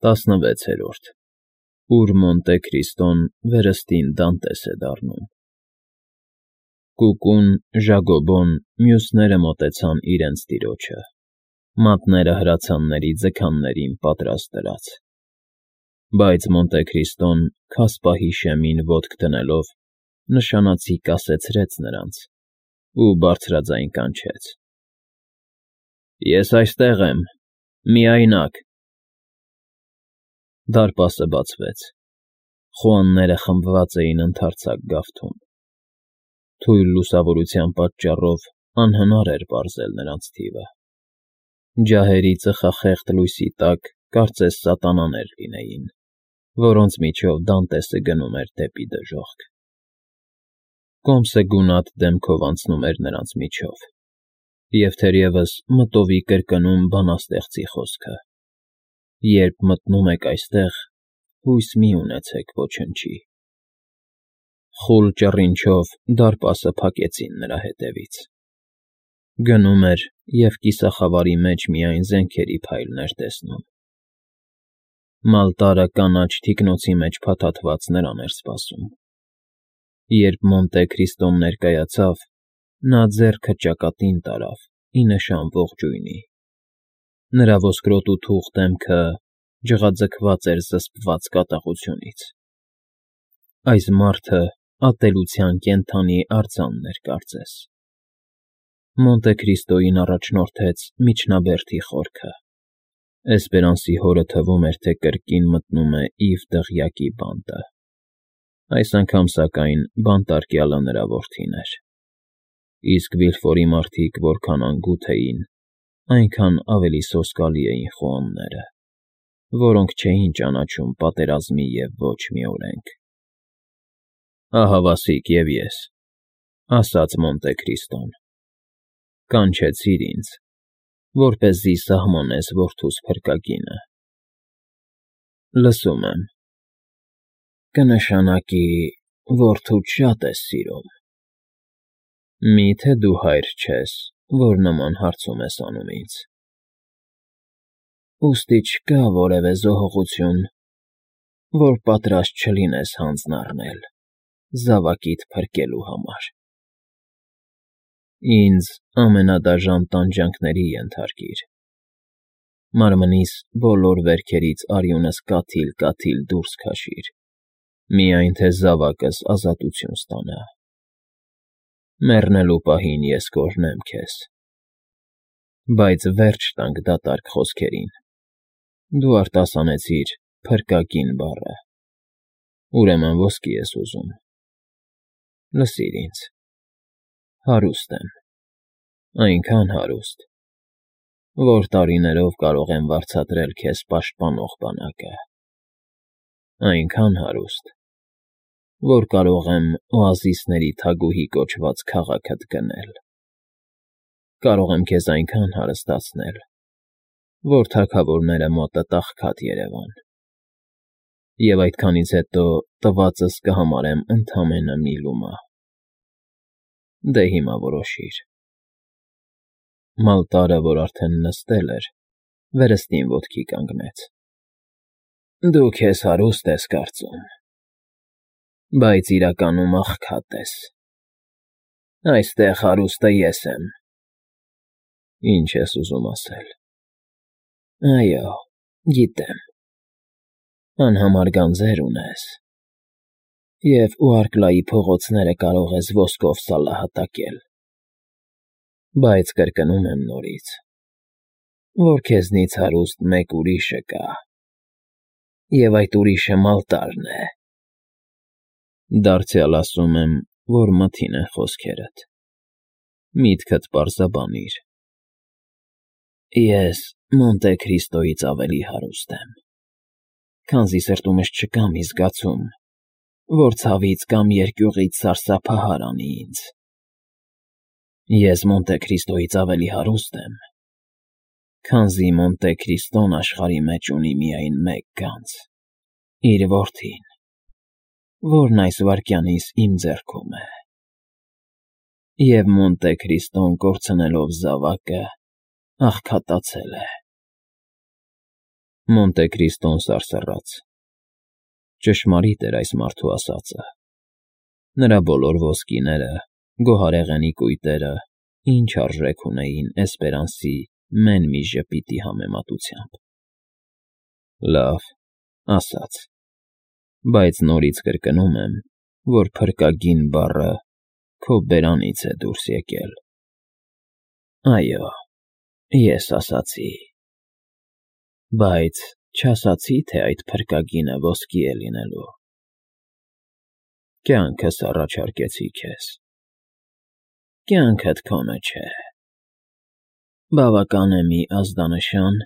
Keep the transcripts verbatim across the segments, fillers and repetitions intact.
ՏԱՍՆՎԵՑԵՐՈՐԴ Ուր Մոնտե Քրիստոն վերստին Դանտես է դառնում։ Կուկուն, Ժագոբոն, մյուսները մոտեցան իրենց տիրոջը, մատները հրացանների ձգաններին պատրաստ դրած։ Բայց Մոնտե Քրիստոն, քասպահի շեմին ոտք դնելով, նշանացի կասեցրեց նրանց ու բարձրաձայն կանչեց. Ես այստեղ եմ, միայնակ։ Դարպասը բացվեց, խոհանները խմբված էին ընդարձակ գավթում։ Թույլ լուսավորության պատճառով անհնար էր պարզել նրանց թիվը։ Ջահերի ծխախեղդ լույսի տակ կարծես սատանաներ լինեին, որոնց միջով Դանտեսը գնում էր դեպի դժոխք։ Կոմսը գունատ դեմքով անցնում էր նրանց միջով, և թերևս մտովի կրկնում բանաստեղծի խոսքը. «Երբ մտնում եք այստեղ, հույս մի ունեցեք ոչնչի»։ Խուլ ճռինչով դարպասը փակեցին նրա հետևից։ Գնում էր և կիսախավարի մեջ միայն զենքերի փայլն էր տեսնում։ Մալտարը կանաչ թիկնոցի մեջ փաթաթված նրան էր սպասում։ Երբ Մոնտե Քրիստոն ներկայացավ, նա ձեռքը ճակատին տարավ ի նշան ողջույնի։ Նրա ոսկրոտու թուխ դեմքը ջղաձգված էր զսպված կատաղությունից։ Այս մարդը ատելության կենդանի արձանն էր կարծես։ Մոնտե Քրիստոյին առաջնորդեց միջնաբերդի խորքը։ Էսպերանսի հորը թվում էր, թե կրկին մտնում է իր դղյակի բանտը։ Այս անգամ, սակայն, բանտարկյալը նրա որդին էր։ Իսկ Վիլֆորի մարդիկ որքան անգութ էին, այնքան ավելի սոսկալի էին խոհանները, որոնք չէին ճանաչում պատերազմի և ոչ մի օրենք։ Ահավասիկ և ես, ասաց Մոնտե Քրիստոն, կանչեցիր ինձ, որպեսզի սահմանես որդուս փրկագինը։ Լսում եմ։ Կնշանակի որդուդ շատ ես սիրում։ Մի՞թե դու հայր չես, որ նման հարցում ես անում ինձ։ Ուստի չկա որևէ զոհողություն, որ պատրաստ չլինես հանձն առնել զավակիդ փրկելու համար։ Ինձ ամենադաժան տանջանքների ենթարկիր։ Մարմնիս բոլոր վերքերից արյունս կաթիլ֊կաթիլ դուրս քաշիր, միայն թե զավակս ազատություն ստանա։ Մեռնելու պահին ես կօրհնեմ քեզ։ Բայց վերջ տանք դատարկ խոսքերին։ Դու արտասանեցիր «փրկագին» բառը, ուրեմն ոսկի ես ուզում։ Լսիր ինձ. հարուստ եմ, այնքան հարուստ, որ տարիներով կարող եմ վարձատրել քեզ պաշտպանող բանակը, այնքան հարուստ, որ կարող եմ օազիսների թագուհի կոչված քաղաքդ գնել։ Կարող եմ քեզ այնքան հարստացնել, որ թագավորները մոտդ աղքատ երևան։ Եվ այդքանից հետո տվածս կհամարեմ ընդամենը մի լումա։ Դե հիմա որոշիր։ Մալտարը, որ արդեն նստել էր, վերստին ոտքի կանգնեց։ Դու քեզ հարուստ ես կարծում, բայց իրականում աղքատ ես։ Այստեղ հարուստը ես եմ։ Ինչ ես ուզում ասել։ Այո, գիտեմ, անհամար գանձեր ունես, և Ուարկլայի փողոցները կարող ես ոսկով սալահատակել, բայց կրկնում եմ նորից, որ քեզնից հարուստ մեկ ուրիշը կա, և այդ ուրիշը Մալտարն է։ Դարձյալ ասում եմ, որ մթին են խոսքերդ։ Միտքդ պարզաբանիր։ Ես Մոնտե Քրիստոյից ավելի հարուստ եմ, քանզի սրտումս չկա մի զգացում, որ ցավից կամ երկյուղից սարսափահար անի ինձ։ Ես Մոնտե Քրիստոյից ավելի հարուստ եմ, քանզի Մոնտե Քրիստոն աշխարհի մեջ ունի միայն մեկ գանձ՝ իր որդին, որն այս վայրկյանիս իմ ձեռքում է։ Եվ Մոնտե Քրիստոն կորցնելով զավակը, աղքատացել է։ Մոնտե Քրիստոն սարսռաց. ճշմարիտ էր այս մարդու ասածը. նրա բոլոր ոսկիները, գոհարեղենի կույտերը ինչ արժեք ունեին Էսպերանսի մեն մի ժպիտի համեմատությամբ։ Լավ, ասաց, բայց նորից կրկնում եմ, որ փրկագին բառը քո բերանից է դուրս եկել։ Այո, ես ասացի, բայց չասացի, թե այդ փրկագինը ոսկի է լինելու։ Կյանքս առաջարկեցի քեզ։ Կյանքդ քոնը չէ։ Բավական է մի ազդանշան,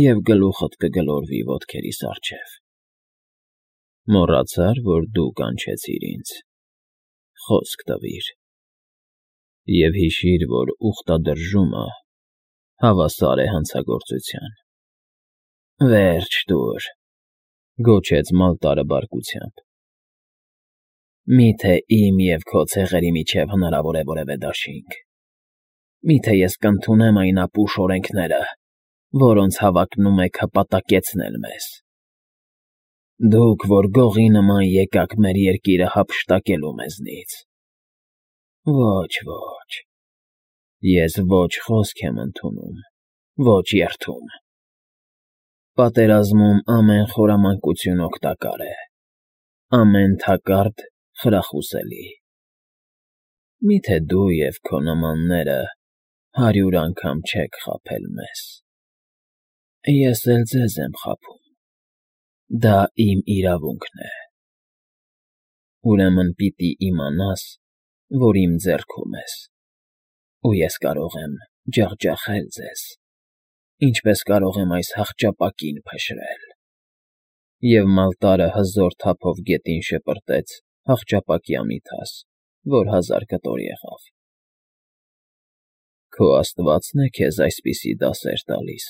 և գլուխդ կգլորվի ոտքերիս առջև։ Մոռացա՞ր, որ դու կանչեցիր ինձ, խոսք տվիր, և հիշիր, որ ուխտադրժումը հավասար է հանցագործության։ Վերջ տուր, գոչեց Մալտարը բարկությամբ։ Մի՞թե իմ և քո ցեղերի միջև հնարավոր է որևէ դաշինք։ Մի՞թե ես կընդունեմ այն ապուշ օրենքները, որոնց հավակնում եք հպատակեցնել մեզ։ Դուք, որ գողի նման եկաք մեր երկիրը հափշտակելու մեզնից։ Ոչ, ոչ, ես ոչ խոսք եմ ընդունում, ոչ երդում։ Պատերազմում ամեն խորամանկություն օգտակար է, ամեն թակարդ խրախուսելի։ Մի՞թե դու և քո նմանները հարյուր անգամ չեք խաբել մեզ։ Ես էլ ձեզ եմ խաբում, դա իմ իրավունքն է։ Ուրեմն պիտի իմանաս, որ իմ ձեռքում ես, ու ես կարող եմ ջախջախել ձեզ, ինչպես կարող եմ այս հախճապակին փշրել։ Եվ Մալտարը հզոր թափով գետին շպրտեց հախճապակի ամիթաս, որ հազար կտոր եղավ։ Քո աստվածն է քեզ այսպիսի դասեր տալիս,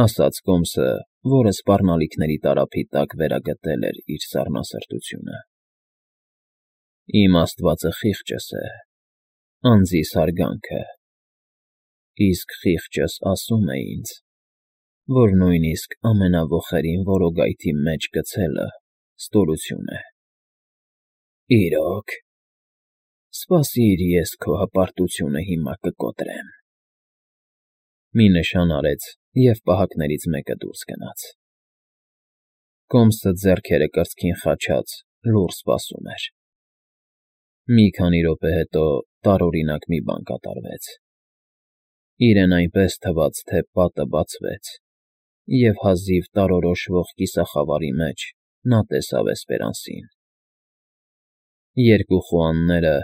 ասաց կոմսը, որը սպառնալիքների տարափի տակ վերագտել էր իր սառնասրտությունը։ Իմ աստվածը խիղճս է, անձիս հարգանքը, իսկ խիղճս ասում է ինձ, որ նույնիսկ ամենավոխերին որոգայթի մեջ գցելը ստորություն է։ Իրոք, սպասիր, ես քո հպարտությունը հիմա կկոտրեմ։ Մի նշան արեց, և պահակներից մեկը դուրս գնաց։ Կոմսը ձեռքերը կրծքին խաչած լուռ սպասում էր։ Մի քանի րոպե հետո տարօրինակ մի բան կատարվեց։ Իրեն այնպես թվաց, թե պատը բացվեց, և հազիվ տարորոշվող կիսախավարի մեջ նա տեսավ Էսպերանսին։ Երկու խոհանները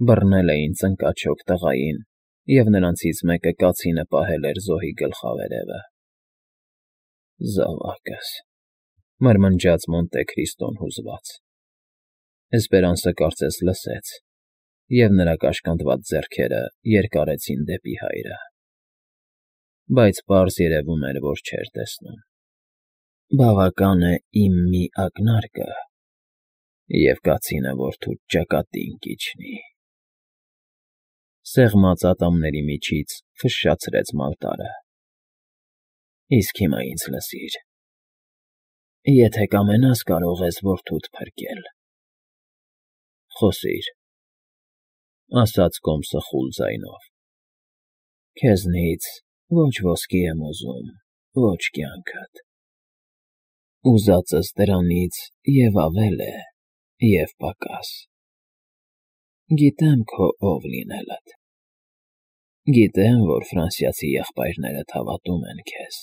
բռնել էին ծնկաչոք տղային, և նրանցից մեկը կացինը պահել էր զոհի գլխավերևը։ Զավակս,֊ մրմնջաց Մոնտե Քրիստոն հուզված։ Էսպերանսը կարծես լսեց, և նրա կաշկանդված ձեռքերը երկարեցին դեպի հայրը։ Բայց պարզ երևում էր, որ չէր տեսնում։ Բավական է իմ մի ակնարկը, և կացինը որդուդ ճակատին կիջնի։ Սեղմած ատամների միջից ֆշշացրեց Մալտարը։ Իսկ հիմա ինձ լսիր. եթե կամենաս, կարող ես որդուդ փրկել։ Խոսիր,֊ ասաց կոմսը խուլ ձայնով։ Քեզնից ոչ ոսկի եմ ուզում, ոչ կյանքդ։ Ուզածս դրանից և ավել է, և պակաս։ Գիտեմ քո ով լինելդ։ Գիտեմ, որ ֆրանսիացի եղբայրներդ հավատում են քեզ։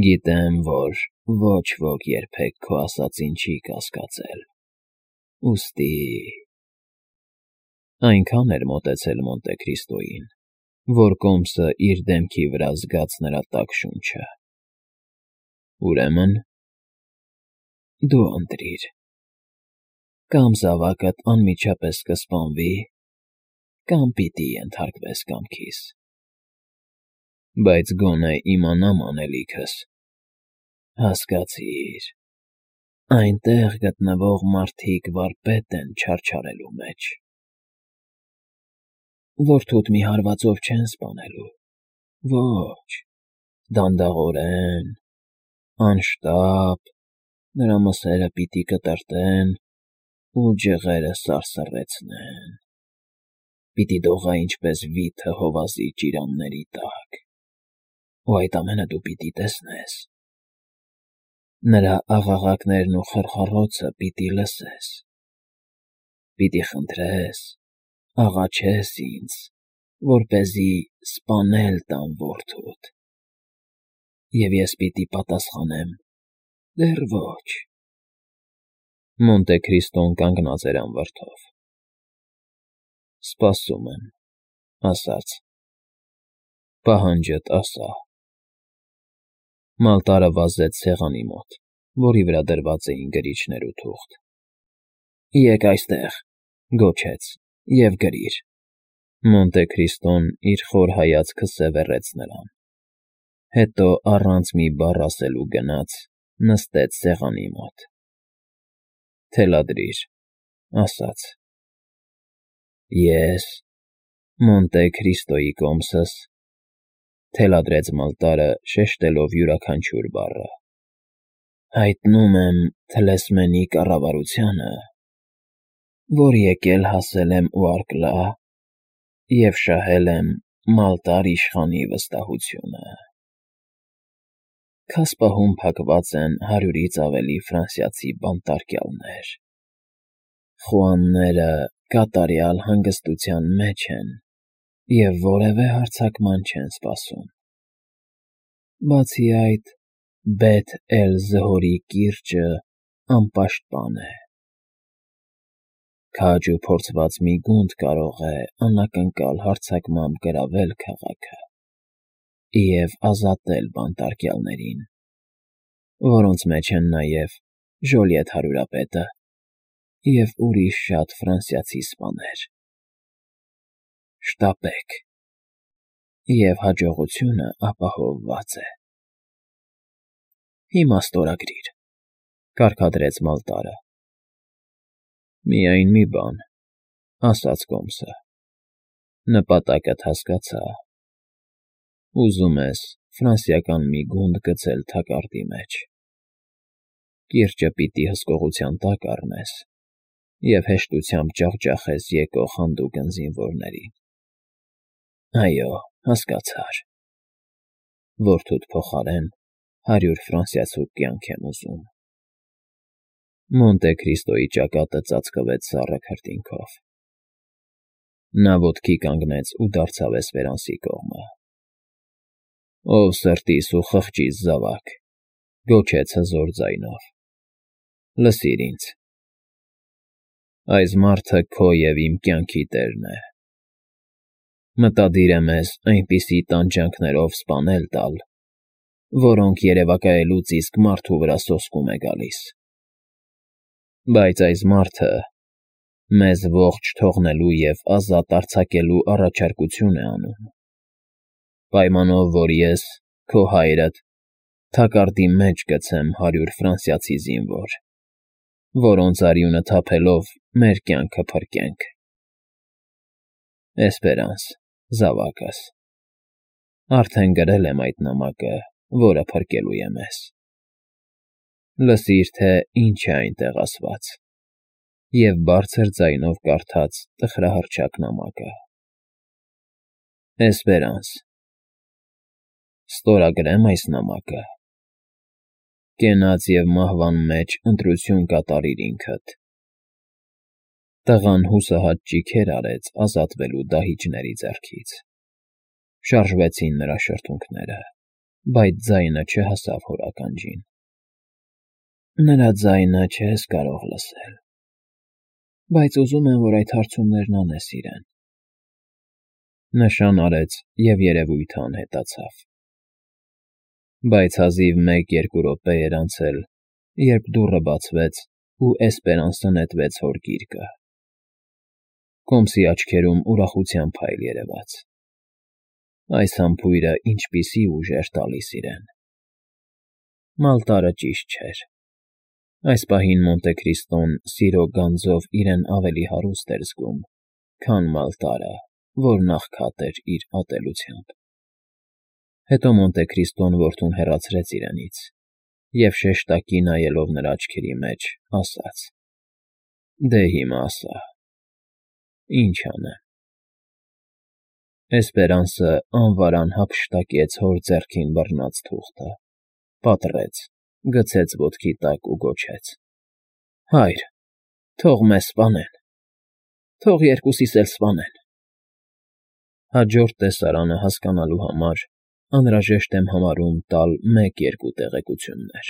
Գիտեմ, որ ոչ ոք երբեք քո ասածին չի կասկածել, ուստի… Այնքան էր մոտեցել Մոնտե Քրիստոյին, որ կոմսը իր դեմքի վրա զգաց նրա տաք շունչը։ Ուրեմն… դու ընտրիր. կամ զավակդ անմիջապես կսպանվի, կամ պիտի ենթարկվես կամքիս։ Բայց գոնե իմանամ անելիքս։ Հասկացիր, այնտեղ գտնվող մարդիկ վարպետ են չարչարելու մեջ։ Որդուդ մի հարվածով չեն սպանելու, ոչ, Դանդաղորեն, անշտապ նրա մսերը պիտի կտրտեն ու ջղերը սարսռեցնեն, պիտի դողա ինչպես վիթը հովազի ճիրանների տակ, ու այդ ամենը դու պիտի տեսնես, նրա աղաղակներն ու խռխռոցը պիտի լսես, պիտի խնդրես, աղաչես ինձ, որպեսզի սպանել տամ որդուդ, և ես պիտի պատասխանեմ. դեռ ոչ… Մոնտե Քրիստոն կանգնած էր անվրդով։ Սպասում եմ, ասաց. պահանջդ ասա։ Մալտարը վազեց սեղանի մոտ, որի վրա դրված էին գրիչներ ու թուղթ։ Եկ այստեղ, գոչեց, և գրիր։ Մոնտե Քրիստոն իր խոր հայացքը սևեռեց նրան, հետո առանց մի բառ ասելու գնաց, նստեց սեղանի մոտ։ Թելադրիր, ասաց. Ես, Մոնտե Քրիստոյի կոմսս, թելադրեց Մալտարը, շեշտելով յուրաքանչյուր բառը, հայտնում եմ թլեսմենի կառավարությանը, որ եկել հասել եմ Ուարկլա և շահել եմ Մալտար իշխանի վստահությունը։ Քաս պահում փակված են հարյուրից ավելի ֆրանսիացի բանտարկյալներ, խուանները կատարյալ հանգստության մեջ են և որևէ հարձակման չեն սպասում։ Բացի այդ, Բեթ֊էլ-Զհորի կիրճը անպաշտպան է։ Քաջ ու փորձված մի գունդ կարող է անակնկալ հարձակմամբ գրավել քաղաքը և ազատել բանտարկյալներին, որոնց մեջ են նաև Ժոլիետ հարյուրապետը և ուրիշ շատ ֆրանսիացի սպաներ։ Շտապեք, և հաջողությունը ապահովված է։ Հիմա ստորագրիր, կարգադրեց Մալտարը։ Միայն մի բան, ասաց կոմսը, նպատակդ հասկացա, ուզում ես ֆրանսիական մի գունդ գցել թակարդի մեջ, կիրճը պիտի հսկողության տակ առնես և հեշտությամբ ջախջախես եկող հանդուգն զինվորներին։ Այո, հասկացար, որդուդ փոխարեն հարյուր ֆրանսիացու կյանք եմ ուզում։ Մոնտե Քրիստոյի ճակատը ծածկվեց սառը քրտինքով։ Նա ոտքի կանգնեց ու դարձավ էսպերանսի կողմը։ Ով սրտիս ու խղճիս զավակ, գոչեց հզոր ձայնով, լսիր ինձ. այս մարդը քո և իմ կյանքի տերն է։ Մտադիր է մեզ այնպիսի տանջանքներով սպանել տալ, որոնք երևակայելուց իսկ մարդու վրա սոսկում է գալիս։ Բայց այս մարդը մեզ ողջ թողնելու և ազատ արձակելու առաջարկություն է անում, պայմանով, որ ես, քո հայրդ, թակարդի մեջ գցեմ հարյուր ֆրանսիացի զինվոր, որոնց արյունը թափելով մեր կյանքը փրկենք։ Էսպերանս, զավակս, արդեն գրել եմ այդ նամակը, որը փրկելու է մեզ։ Լսիր, թե ինչ է այնտեղ ասված, և բարձր ձայնով կարդաց տխրահռչակ նամակը. Էսպերանս, ստորագրե՞մ այս նամակը։ Կենաց և մահվան մեջ ընտրություն կատարիր ինքդ։ Տղան հուսահատ ճիգեր արեց ազատվելու դահիճների ձեռքից, շարժվեցին նրա շրթունքները, բայց ձայնը չհասավ հոր ականջին։ Նրա ձայնը չես կարող լսել, բայց ուզում եմ, որ այդ հարցումներն անես իրեն։ Նշան արեց և երևույթը անհետացավ։ Բայց հազիվ մեկ֊երկու րոպե էր անցել, երբ դուռը բացվեց ու Էսպերանսը նետվեց հոր գիրկը։ Կոմսի աչքերում ուրախության փայլ երևաց։ Այս համբույրը ինչպիսի ուժ էր տալիս իրեն։ Մալտարը ճիշտ չէր։ Այս պահին Մոնտե Քրիստոն սիրո գանձով իրեն ավելի հարուստ էր զգում, քան Մալտարը, որն աղքատ էր իր ատելությամբ։ Հետո Մոնտեկրիստոն որդուն հեռացրեց իրենից և, շեշտակի նայելով նրա աչքերի մեջ, ասաց. «Դե հիմա ասա, ի՞նչ անեմ»։ Էսպերանսը անվարան հափշտակեց հոր ձեռքին բռնած թուղթը, պատռեց, գցեց ոտքի տակ ու գոչեց. «Հա՛յր, թող մեզ սպանեն, թող երկուսիս էլ սպանեն»։ Հաջորդ տեսարանը հասկանալու համար անհրաժեշտ եմ համարում տալ մեկ֊երկու տեղեկություններ։